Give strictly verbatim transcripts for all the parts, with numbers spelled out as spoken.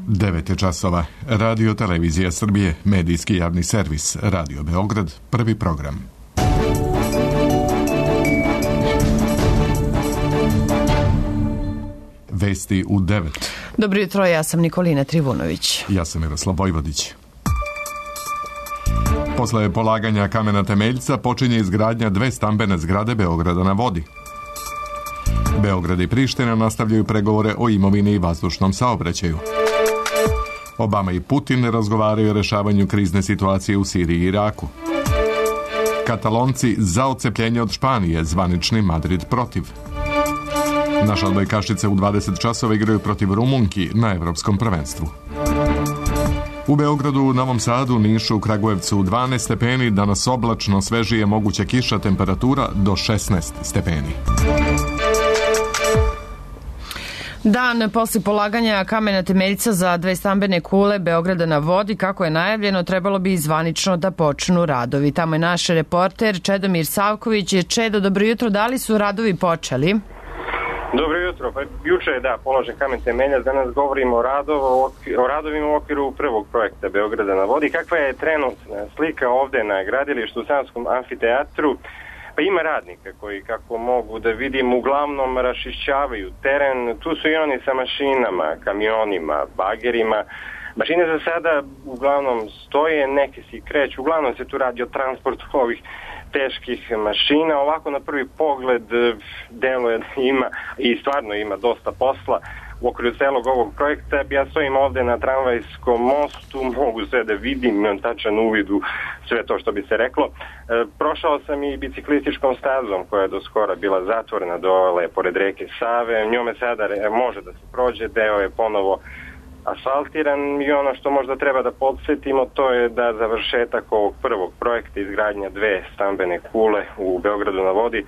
devet je časova. Radio Televizija Srbije, medijski javni servis, Radio Beograd, prvi program. Vesti u devet. Dobro jutro, ja sam Nikolina Trivunović. Ja sam Miroslav Vojvodić. Posle polaganja kamena temeljca počinje izgradnja dve stambene zgrade Beograda na vodi. Beograd i Priština nastavljaju pregovore o imovini i vazdušnom saobraćaju. Obama i Putin razgovaraju o rešavanju krizne situacije u Siriji i Iraku. Katalonci za odcepljenje od Španije, zvanični Madrid protiv. Naše odbojkašice u dvadeset časova igraju protiv Rumunki na evropskom prvenstvu. U Beogradu, Novom Sadu, Nišu, Kragujevcu dvanaest stepeni, danas oblačno, svežije, moguća kiša, temperatura do šesnaest stepeni. Dan posle polaganja kamena temeljca za dve stambene kule Beograda na vodi, kako je najavljeno, trebalo bi zvanično da počnu radovi. Tamo je naš reporter Čedomir Savković. Čedo, dobro jutro, da li su radovi počeli? Dobro jutro, pa juče je da položen kamen temeljac, danas govorimo o, radov, o radovima u okviru prvog projekta Beograda na vodi. Kakva je trenutna slika ovde na gradilištu u Savskom amfiteatru? Pa ima radnika koji, kako mogu da vidim, uglavnom rašišćavaju teren. Tu su i oni sa mašinama, kamionima, bagerima. Mašine za sada uglavnom stoje, neke se kreću, uglavnom se tu radi o transportu ovih teških mašina. Ovako na prvi pogled deluje da ima i stvarno ima dosta posla u okviru celog ovog projekta. Ja stojim ovde na tramvajskom mostu, mogu sve da vidim, imam tačan uvid u sve to što bi se reklo. E, prošao sam i biciklističkom stazom koja je do skora bila zatvorena dole pored reke Save. Njome sada može da se prođe, deo je ponovo asfaltiran i ono što možda treba da podsjetimo to je da završetak ovog prvog projekta izgradnja dve stambene kule u Beogradu na vodi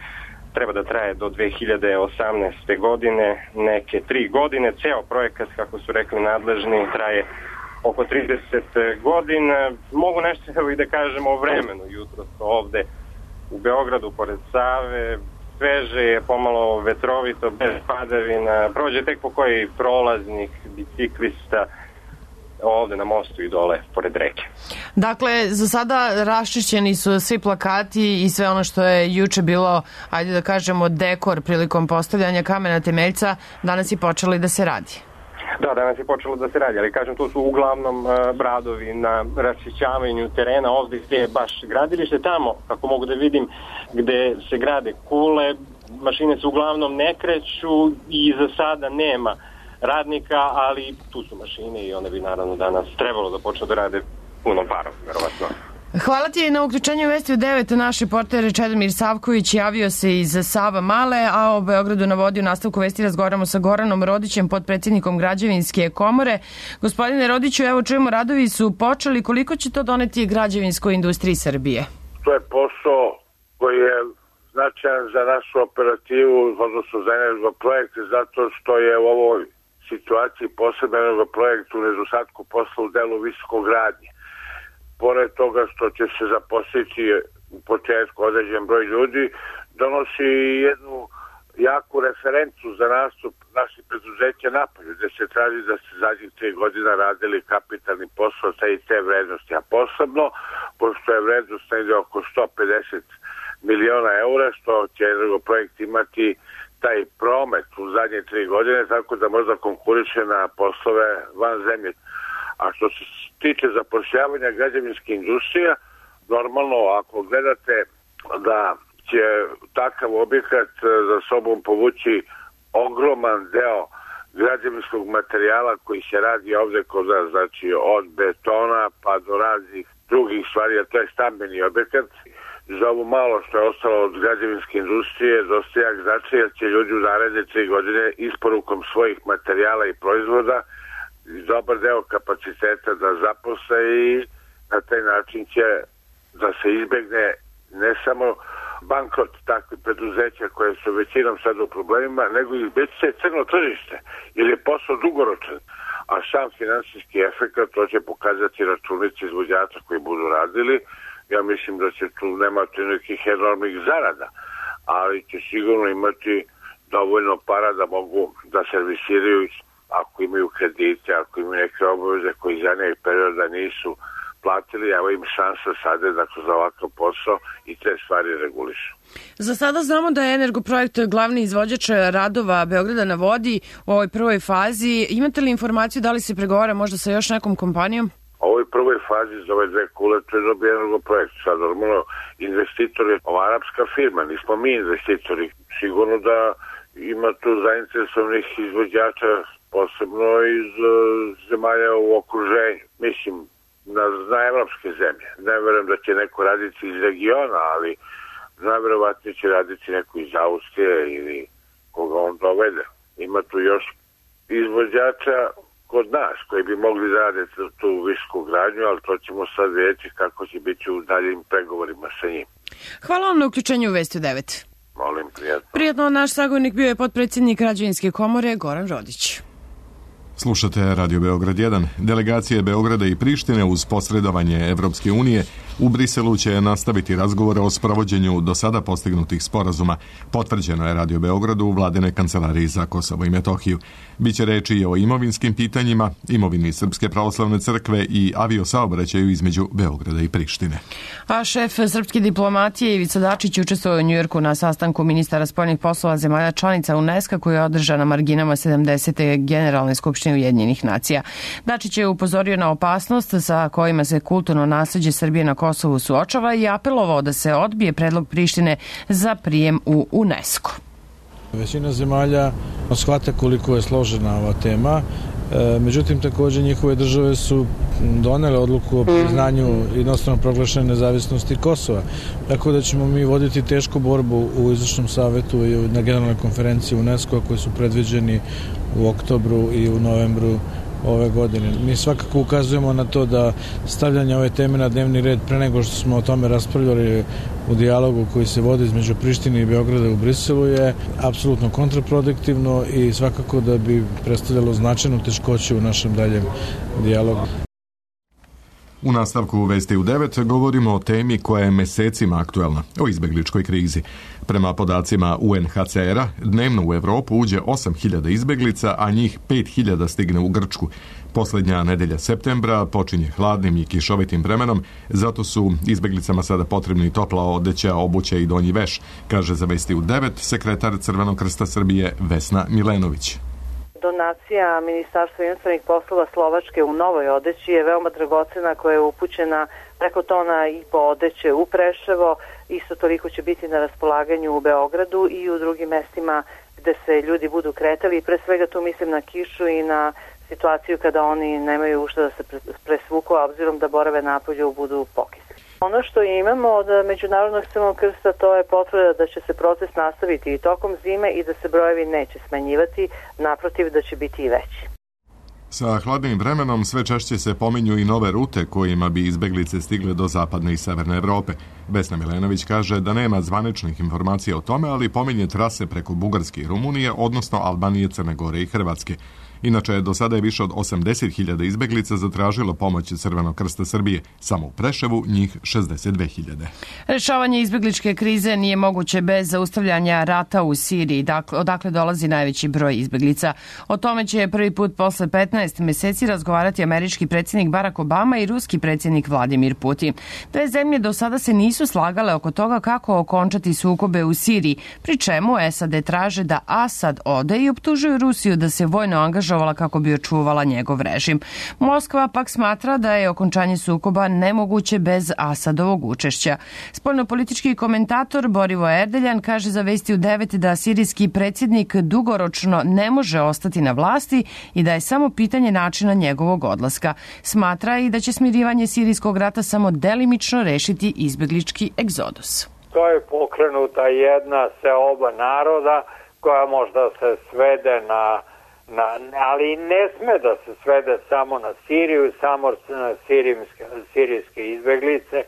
treba da traje do dve hiljade osamnaeste. godine, neke tri godine. Ceo projekat, kako su rekli nadležni, traje oko trideset godina. Mogu nešto evo i da kažemo o vremenu jutro ovde u Beogradu pored Save. Sveže je, pomalo vetrovito, bez padavina. Prođe tek po koji prolaznik, biciklista ovde na mostu i dole pored reke. Dakle, za sada raščišćeni su svi plakati i sve ono što je juče bilo, ajde da kažemo, dekor prilikom postavljanja kamena temeljca, danas je počelo da se radi. Da, danas je počelo da se radi, ali kažem, to su uglavnom uh, radovi na raščišćavanju terena, ovde gde je baš gradilište, tamo, kako mogu da vidim, gde se grade kule, mašine se uglavnom ne kreću i za sada nema radnika, ali tu su mašine i one bi naravno danas trebalo da počne da rade punom parom, verovatno. Hvala ti na uključenju Vesti u devet. Naš reporter Čedomir Savković javio se iz Sava Male, a o Beogradu na vodi u nastavku Vesti razgovaramo sa Goranom Rodićem, potpredsjednikom Građevinske komore. Gospodine Rodiću, evo čujemo, radovi su počeli. Koliko će to doneti građevinskoj industriji Srbije? To je posao koji je značajan za našu operativu, odnosno za Energoprojekt, zato što je u ovoj situaciji posebno Energoprojekt u nedostatku posla u delu visokogradnje. Pored toga što će se zaposliti u početku određen broj ljudi, donosi jednu jaku referencu za nastup naših preduzeća napolju, gde se traži da se zadnjih tri godina radili kapitalni posao sa i te vrednosti, a posebno, pošto je vrednost negde oko sto pedeset miliona eura, što će Energoprojekt imati taj promet u zadnje tri godine, tako da možda konkuriše na poslove van zemlje. A što se tiče zapošljavanja građevinske industrije, normalno ako gledate da će takav objekat za sobom povući ogroman deo građevinskog materijala koji se radi ovde kod nas, znači od betona pa do raznih drugih stvari, a to je stambeni objekat. Za ovo malo što je ostalo od građevinske industrije dosta jak znači jer će ljudi u naredne tri godine isporukom svojih materijala i proizvoda dobar deo kapaciteta da zaposle i na taj način će da se izbegne ne samo bankrot takvih preduzeća koje su većinom sad u problemima, nego i već se crno tržište ili je posao dugoročan, a sam finansijski efekt to će pokazati računici izvođača koji budu radili. Ja mislim da će tu nemati nekih enormnih zarada, ali će sigurno imati dovoljno para da mogu da servisiraju ako imaju kredite, ako imaju neke obaveze koji za nekog perioda nisu platili, evo im šansa sada da kroz ovakav posao i te stvari regulišu. Za sada znamo da je Energoprojekt glavni izvođač radova Beograda na vodi u ovoj prvoj fazi. Imate li informaciju da li se pregovara možda sa još nekom kompanijom? U ovoj prvoj fazi za ove dve kule to je dobio Energoprojekt. Sad normalno investitor je ova arapska firma, nismo mi investitori. Sigurno da ima tu zainteresovanih izvođača, posebno iz uh, zemalja u okruženju. Mislim, na, na evropske zemlje. Ne verujem da će neko raditi iz regiona, ali najverovatnije će raditi neko iz Austrije ili koga on dovede. Ima tu još izvođača kod nas koji bi mogli da rade tu visoku gradnju, ali to ćemo sad vidjeti kako će biti u daljim pregovorima sa njim. Hvala vam na uključenju u Vesti u devet. Molim, prijatno. Prijatno, naš sagovornik bio je potpredsjednik Građevinske komore Goran Rodić. Slušate Radio Beograd jedan. Delegacije Beograda i Prištine uz posredovanje Evropske unije u Briselu će nastaviti razgovore o sprovođenju do sada postignutih sporazuma. Potvrđeno je Radio Beogradu u vladine kancelariji za Kosovo i Metohiju. Biće reči i o imovinskim pitanjima, imovini Srpske pravoslavne crkve i aviosaobraćaju između Beograda i Prištine. A šef srpske diplomatije Ivica Dačić učestvovao u Njujorku na sastanku ministara spoljnih poslova zemalja članica UNESCO koja je održana na marginama sedamdesete generalne skupštine Ujedinjenih nacija. Dačić je upozorio na opasnost sa kojima se kulturno nasleđe Srbije na Kosovu suočava i apelovao da se odbije predlog Prištine za prijem u UNESCO. Većina zemalja shvata koliko je složena ova tema, međutim također njihove države su donele odluku o priznanju jednostrano proglašene nezavisnosti Kosova. Tako da ćemo mi voditi tešku borbu u izvršnom savetu i na generalnoj konferenciji UNESCO koji su predviđeni u oktobru i u novembru ove godine. Mi svakako ukazujemo na to da stavljanje ove teme na dnevni red pre nego što smo o tome raspravljali u dijalogu koji se vodi između Prištine i Beograda u Briselu je apsolutno kontraproduktivno i svakako da bi predstavljalo značajnu teškoću u našem daljem dijalogu. U nastavku Vesti u devet govorimo o temi koja je mesecima aktuelna, o izbegličkoj krizi. Prema podacima U N H C R-a, dnevno u Evropu uđe osam hiljada izbeglica, a njih pet hiljada stigne u Grčku. Posljednja nedelja septembra počinje hladnim i kišovitim vremenom, zato su izbeglicama sada potrebni topla odeća, obuća i donji veš, kaže za Vesti u devet sekretar Crvenog krsta Srbije Vesna Milenović. Donacija Ministarstva inostranih poslova Slovačke u novoj odeći je veoma dragocena, koja je upućena preko tona i po odeće u Preševo. Isto toliko će biti na raspolaganju u Beogradu i u drugim mestima gde se ljudi budu kretali. Pre svega tu mislim na kišu i na situaciju kada oni nemaju ušta da se presvuku, a obzirom da borave napolju budu pokisli. Ono što imamo od Međunarodnog Crvenog krsta to je potvrda da će se proces nastaviti i tokom zime i da se brojevi neće smanjivati, naprotiv da će biti i veći. Sa hladnim vremenom sve češće se pominju i nove rute kojima bi izbeglice stigle do zapadne i severne Evrope. Vesna Milenović kaže da nema zvaničnih informacija o tome, ali pominje trase preko Bugarske i Rumunije, odnosno Albanije, Crne Gore i Hrvatske. Inače, do sada je više od osamdeset hiljada izbeglica zatražilo pomoć Crvenog krsta Srbije. Samo u Preševu njih šezdeset dve hiljade. Rešavanje izbegličke krize nije moguće bez zaustavljanja rata u Siriji, dakle, odakle dolazi najveći broj izbeglica. O tome će prvi put posle petnaest meseci razgovarati američki predsjednik Barack Obama i ruski predsjednik Vladimir Putin. Dve zemlje do sada se nisu slagale oko toga kako okončati sukobe u Siriji, pri čemu S A D traže da Asad ode i optužuju Rusiju da se vojno angažuje kako bi očuvala njegov režim. Moskva pak smatra da je okončanje sukoba nemoguće bez Asadovog učešća. Spoljnopolitički komentator Borivo Erdeljan kaže za Vesti u devet da sirijski predsjednik dugoročno ne može ostati na vlasti i da je samo pitanje načina njegovog odlaska. Smatra i da će smirivanje sirijskog rata samo delimično rešiti izbeglički egzodus. To je pokrenuta jedna seoba naroda koja možda se svede na Na, ali ne sme da se svede samo na Siriju, samo na sirijske, sirijske izbeglice.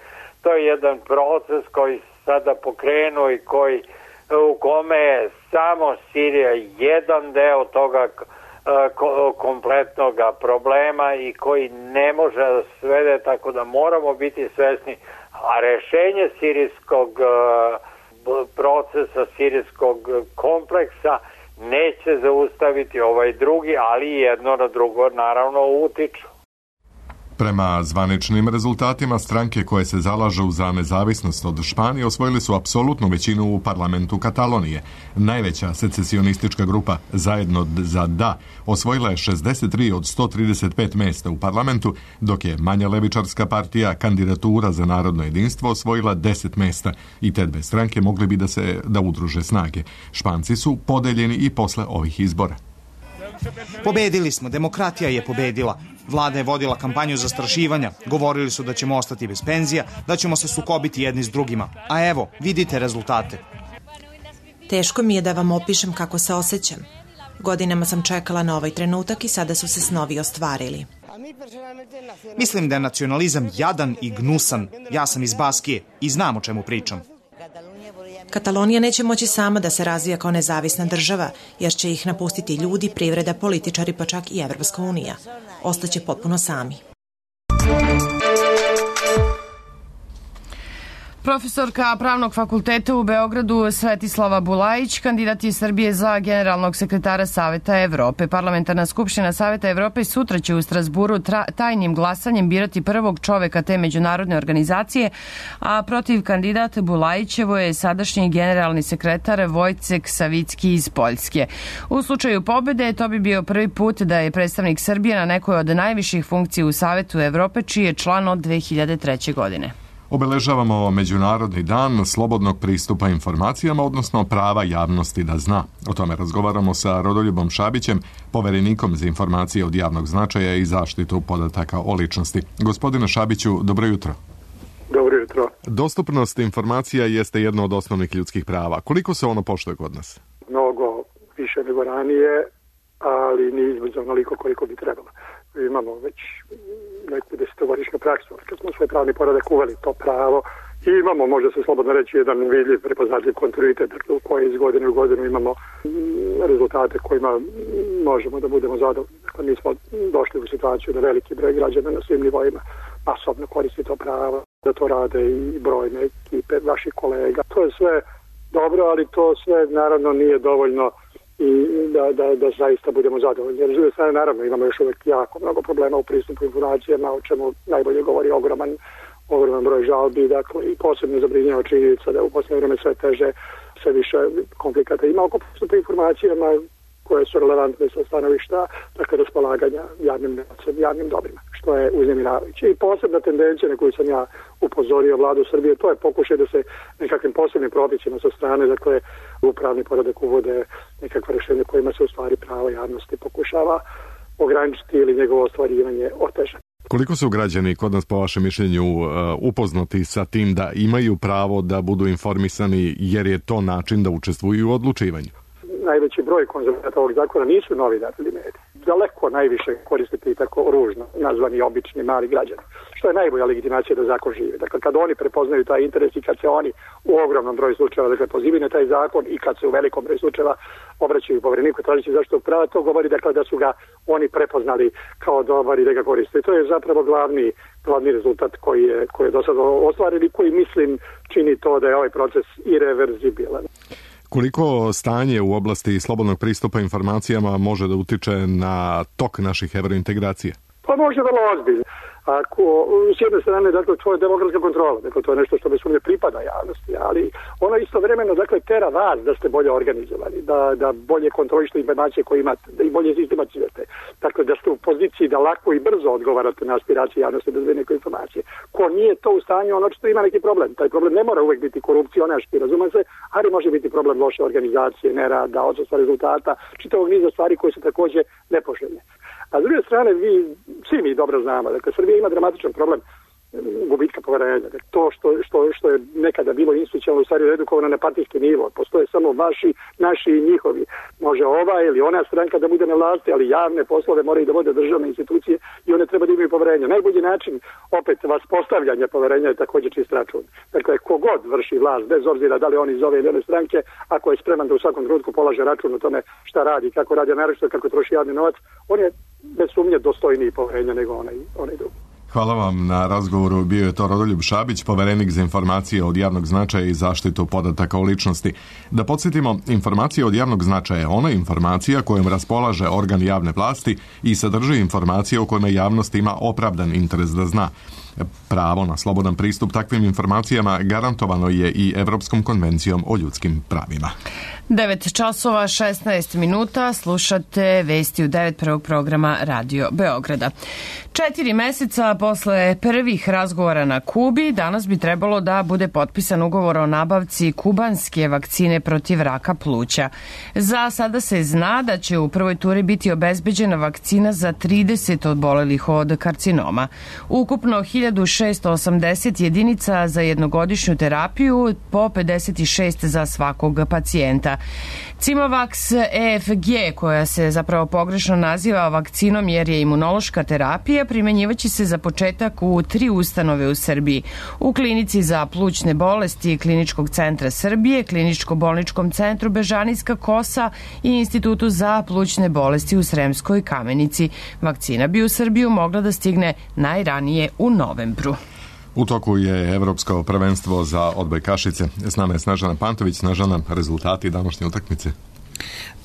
To je jedan proces koji sada pokrenu i koji, u kome je samo Sirija jedan deo toga ko, kompletnog problema i koji ne može da se svede, tako da moramo biti svesni. A rešenje sirijskog procesa, sirijskog kompleksa neće zaustaviti ovaj drugi, ali jedno na drugo naravno utiču. Prema zvaničnim rezultatima, stranke koje se zalažu za nezavisnost od Španije osvojili su apsolutnu većinu u parlamentu Katalonije. Najveća secesionistička grupa Zajedno za da osvojila je šezdeset tri od sto trideset pet mesta u parlamentu, dok je manja levičarska partija Kandidatura za narodno jedinstvo osvojila deset mesta i te dve stranke mogli bi da se da udruže snage. Španci su podeljeni i posle ovih izbora. Pobedili smo, demokratija je pobedila. Vlada je vodila kampanju zastrašivanja, govorili su da ćemo ostati bez penzija, da ćemo se sukobiti jedni s drugima. A evo, vidite rezultate. Teško mi je da vam opišem kako se osjećam. Godinama sam čekala na ovaj trenutak i sada su se snovi ostvarili. Mislim da je nacionalizam jadan i gnusan. Ja sam iz Baskije i znam o čemu pričam. Katalonija neće moći sama da se razvija kao nezavisna država, jer će ih napustiti ljudi, privreda, političari, pa čak i Evropska unija. Ostaće potpuno sami. Profesorka Pravnog fakulteta u Beogradu Svetislava Bulajić kandidat je Srbije za generalnog sekretara Saveta Evrope. Parlamentarna skupština Saveta Evrope sutra će u Strasburu tajnim glasanjem birati prvog čoveka te međunarodne organizacije, a protiv kandidata Bulajićevo je sadašnji generalni sekretar Vojcek Savicki iz Poljske. U slučaju pobede to bi bio prvi put da je predstavnik Srbije na nekoj od najviših funkcija u Savetu Evrope, čiji je član od dve hiljade treće. godine. Obeležavamo Međunarodni dan slobodnog pristupa informacijama, odnosno prava javnosti da zna. O tome razgovaramo sa Rodoljubom Šabićem, poverenikom za informacije od javnog značaja i zaštitu podataka o ličnosti. Gospodine Šabiću, dobro jutro. Dobro jutro. Dostupnost informacija jeste jedno od osnovnih ljudskih prava. Koliko se ono poštuje kod nas? Mnogo više nego ranije, ali nije između onoliko koliko bi trebalo. Imamo već neku desetogodišnju praksu, kad smo svoj pravni poredak uveli to pravo i imamo, može se slobodno reći, jedan vidljiv, prepoznatljiv kontinuitet, dakle u kojoj iz godine u godinu imamo rezultate kojima možemo da budemo zadovoljni. Dakle, mi smo došli u situaciju da veliki broj građana na svim nivoima masovno koristi to pravo, da to rade i brojne ekipe vaših kolega. To je sve dobro, ali to sve naravno nije dovoljno i da, da, da zaista budemo zadovoljni. Jer s druge strane, naravno, imamo još uvijek jako mnogo problema u pristupu informacijama, o čemu najbolje govori ogroman, ogroman broj žalbi, dakle, i posebno zabrinjava činjenica da u posljednje vrijeme sve teže, sve više konflikata ima oko pristupa informacijama koje su relevantne sa stanovišta, dakle, raspolaganja javnim novcem, javnim dobrima, što je uznemiravajuće. I posebna tendencija na koju sam ja upozorio vladu Srbije, to je pokušaj da se nekakvim posebnim propisima sa strane, dakle, u pravni poredak uvode nekakva rješenja kojima se u stvari pravo javnosti pokušava ograničiti ili njegovo ostvarivanje otežati. Koliko su građani kod nas, po vašem mišljenju, upoznati sa tim da imaju pravo da budu informisani, jer je to način da učestvuju u odlučivanju? Najveći broj konzumenata ovog zakona nisu novinari ili mediji. Daleko najviše koristiti tako ružno nazvani obični mali građani, što je najbolja legitimacija da zakon živi. Dakle, kad oni prepoznaju taj interes i kad se oni u ogromnom broju slučajeva, dakle, pozivaju na taj zakon i kad se u velikom broju slučajeva obraćaju povereniku tražeći zaštitu prava, to govori, dakle, da su ga oni prepoznali kao dobar i da ga koriste. I to je zapravo glavni, glavni rezultat koji je, koji je do sada ostvaren i koji, mislim, čini to da je ovaj proces irreverzibilan. Koliko stanje u oblasti slobodnog pristupa informacijama može da utiče na tok naših evrointegracija? Pa može vrlo ozbiljno. Ako, s jedne strane, dakle, to je demokratska kontrola, dakle, to je nešto što bez sumnje pripada javnosti, ali ono istovremeno, dakle, tera vas da ste bolje organizovani, da, da bolje kontrolište informacije koje imate, da i bolje sistematizujete. Dakle, da ste u poziciji da lako i brzo odgovarate na aspiracije javnosti da zove neke informacije. Ko nije to u stanju, ono što ima neki problem. Taj problem ne mora uvek biti korupcionaški, razume se, ali može biti problem loše organizacije, nerada, odsustva rezultata, čitavog niza stvari koje su takođe nepoželjne. A s druge strane, vi, svi mi dobro znamo, dakle, Srbija ima dramatičan problem gubitka poverenja. Dakle, to što, što, što je nekada bilo institucionalno u stvari redukovano na partijski nivo, postoje samo vaši, naši i njihovi. Može ova ili ona stranka da bude na vlasti, ali javne poslove moraju da vode državne institucije i one treba da imaju poverenja. Najbolji način opet vas postavljanja poverenja je također čist račun. Dakle, kogod vrši vlast, bez obzira da li on iz ove ili one stranke, ako je spreman da u svakom trenutku polaže račun o tome šta radi, kako radi, naročito kako troši javni novac, on je bez sumnje dostojniji poverenja nego onaj, onaj drugi. Hvala vam na razgovoru. Bio je to Rodoljub Šabić, poverenik za informacije od javnog značaja i zaštitu podataka o ličnosti. Da podsjetimo, informacije od javnog značaja je ona informacija kojom raspolaže organ javne vlasti i sadrži informacije o kojima javnost ima opravdan interes da zna. Pravo na slobodan pristup takvim informacijama garantovano je i Evropskom konvencijom o ljudskim pravima. devet časova šesnaest minuta, slušate vesti u devet prvog programa Radio Beograda. Četiri meseca posle prvih razgovora na Kubi, danas bi trebalo da bude potpisan ugovor o nabavci kubanske vakcine protiv raka pluća. Za sada se zna da će u prvoj turi biti obezbeđena vakcina za trideset obolelih od karcinoma. Ukupno hiljadu šesto osamdeset jedinica za jednogodišnju terapiju, po pedeset šest za svakog pacijenta. Cimavax E F G, koja se zapravo pogrešno naziva vakcinom jer je imunološka terapija, primenjivaće se za početak u tri ustanove u Srbiji. U klinici za plućne bolesti Kliničkog centra Srbije, Kliničko-bolničkom centru Bežanijska Kosa i Institutu za plućne bolesti u Sremskoj Kamenici. Vakcina bi u Srbiju mogla da stigne najranije u novembru. U toku je Evropsko prvenstvo za odbojkašice. S nama je Snežana Pantović. Snežana, rezultati današnje utakmice?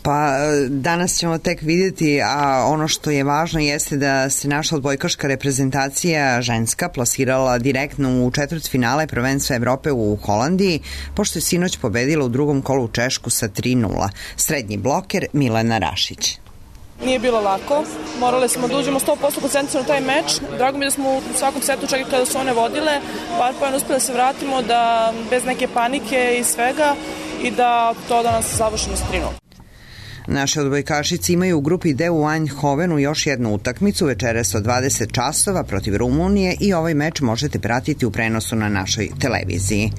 Pa danas ćemo tek vidjeti, a ono što je važno jeste da se naša odbojkaška reprezentacija ženska plasirala direktno u četvrtfinale prvenstva Evrope u Holandiji, pošto je sinoć pobedila u drugom kolu Češku sa tri nula. Srednji bloker Milena Rašić. Nije bilo lako, morali smo da uđemo sto posto koncentrirano u taj meč. Drago mi da smo u svakom setu, čak i kada su one vodile, par poena uspeli da se vratimo, da bez neke panike i svega, i da to danas završeno s tri nula. Naše odbojkašice imaju u grupi D u Eindhovenu još jednu utakmicu večeras od dvadeset časova protiv Rumunije i ovaj meč možete pratiti u prenosu na našoj televiziji.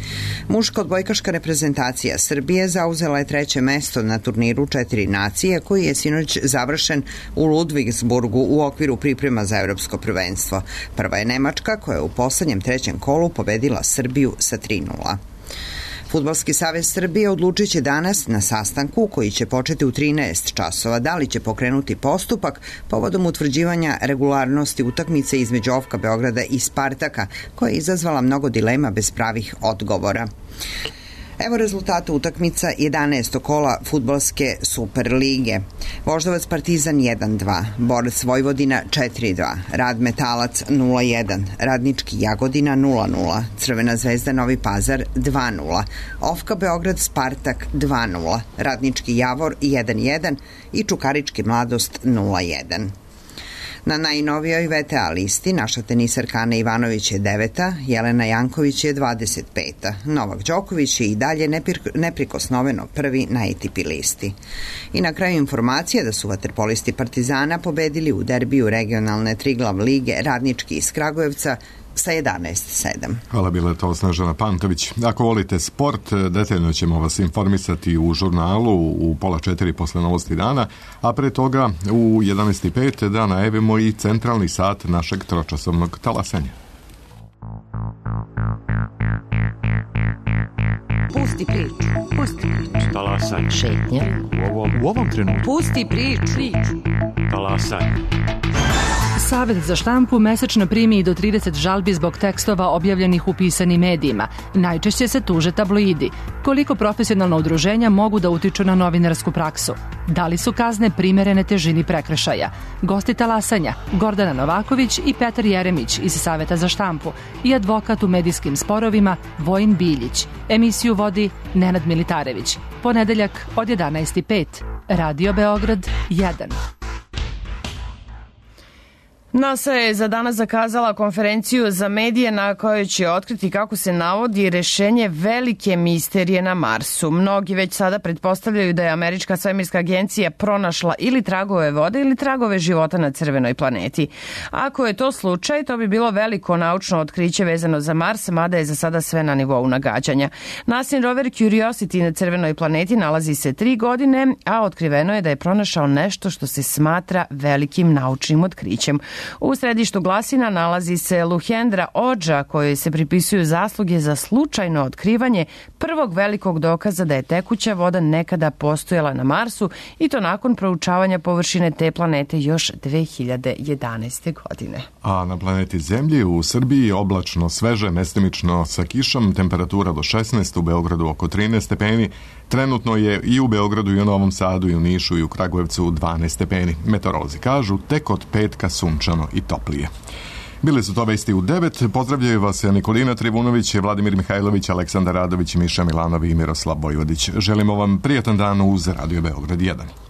Muška odbojkaška reprezentacija Srbije zauzela je treće mesto na turniru Četiri nacije koji je sinoć završen u Ludvigsburgu u okviru priprema za evropsko prvenstvo. Prva je Nemačka koja je u poslednjem trećem kolu pobedila Srbiju sa tri nula. Fudbalski savez Srbije odlučit će danas na sastanku koji će početi u trinaest časova da li će pokrenuti postupak povodom utvrđivanja regularnosti utakmice između O F K-a Beograda i Spartaka, koja je izazvala mnogo dilema bez pravih odgovora. Evo rezultata utakmica jedanaestog kola fudbalske Superlige. Voždovac Partizan jedan dva, Borac Vojvodina četiri dva, Rad Metalac nula jedan, Radnički Jagodina nula nula, Crvena zvezda Novi Pazar dva nula, O F K Beograd Spartak dva nula, Radnički Javor jedan jedan i Čukarički Mladost nula jedan. Na najnovijoj V T A listi naša tenisarka Ana Ivanović je deveta, Jelena Janković je dvadeset peta. Novak Đoković je i dalje neprikosnoveno prvi na A T P listi. I na kraju informacija da su vaterpolisti Partizana pobedili u derbiju regionalne Triglav lige Radnički iz Kragujevca sa jedanaest sedam. Hvala, bila je to Snežana Pantović. Ako volite sport, detaljno ćemo vas informisati u žurnalu u pola četiri posle novosti dana, a pre toga u jedanaest i pet da najavimo i centralni sat našeg tročasovnog talasanja. Pusti priču, pusti priču. Talasanje. Šetnja. U ovom, u ovom trenutku. Pusti priču. Talasanje. Savet za štampu mesečno primi do trideset žalbi zbog tekstova objavljenih u pisanim medijima. Najčešće se tuže tabloidi. Koliko profesionalna udruženja mogu da utiču na novinarsku praksu? Da li su kazne primerene težini prekršaja? Gosti talasanja Gordana Novaković i Petar Jeremić iz Saveta za štampu i advokat u medijskim sporovima Vojin Biljić. Emisiju vodi Nenad Militarević. Ponedeljak od jedanaest i pet. Radio Beograd jedan. NASA je za danas zakazala konferenciju za medije na kojoj će otkriti kako se navodi rešenje velike misterije na Marsu. Mnogi već sada pretpostavljaju da je Američka svemirska agencija pronašla ili tragove vode ili tragove života na crvenoj planeti. Ako je to slučaj, to bi bilo veliko naučno otkriće vezano za Mars, mada je za sada sve na nivou nagađanja. NASAin rover Curiosity na crvenoj planeti nalazi se tri godine, a otkriveno je da je pronašao nešto što se smatra velikim naučnim otkrićem. U središtu glasina nalazi se Luhendra Odža, kojoj se pripisuju zasluge za slučajno otkrivanje prvog velikog dokaza da je tekuća voda nekada postojala na Marsu, i to nakon proučavanja površine te planete još dve hiljade jedanaeste. godine. A na planeti Zemlji u Srbiji oblačno, sveže, mestimično sa kišom, temperatura do šesnaest, u Beogradu oko trinaest stepeni. Trenutno je i u Beogradu i u Novom Sadu i u Nišu i u Kragujevcu dvanaest stepeni. Meteorolozi kažu tek od petka sunčano i toplije. Bili su to vesti u devet. Pozdravljaju vas Nikolina Trivunović, Vladimir Mihajlović, Aleksandar Radović, Miša Milanovi i Miroslav Vojvodić. Želimo vam prijatan dan uz Radio Beograd jedan.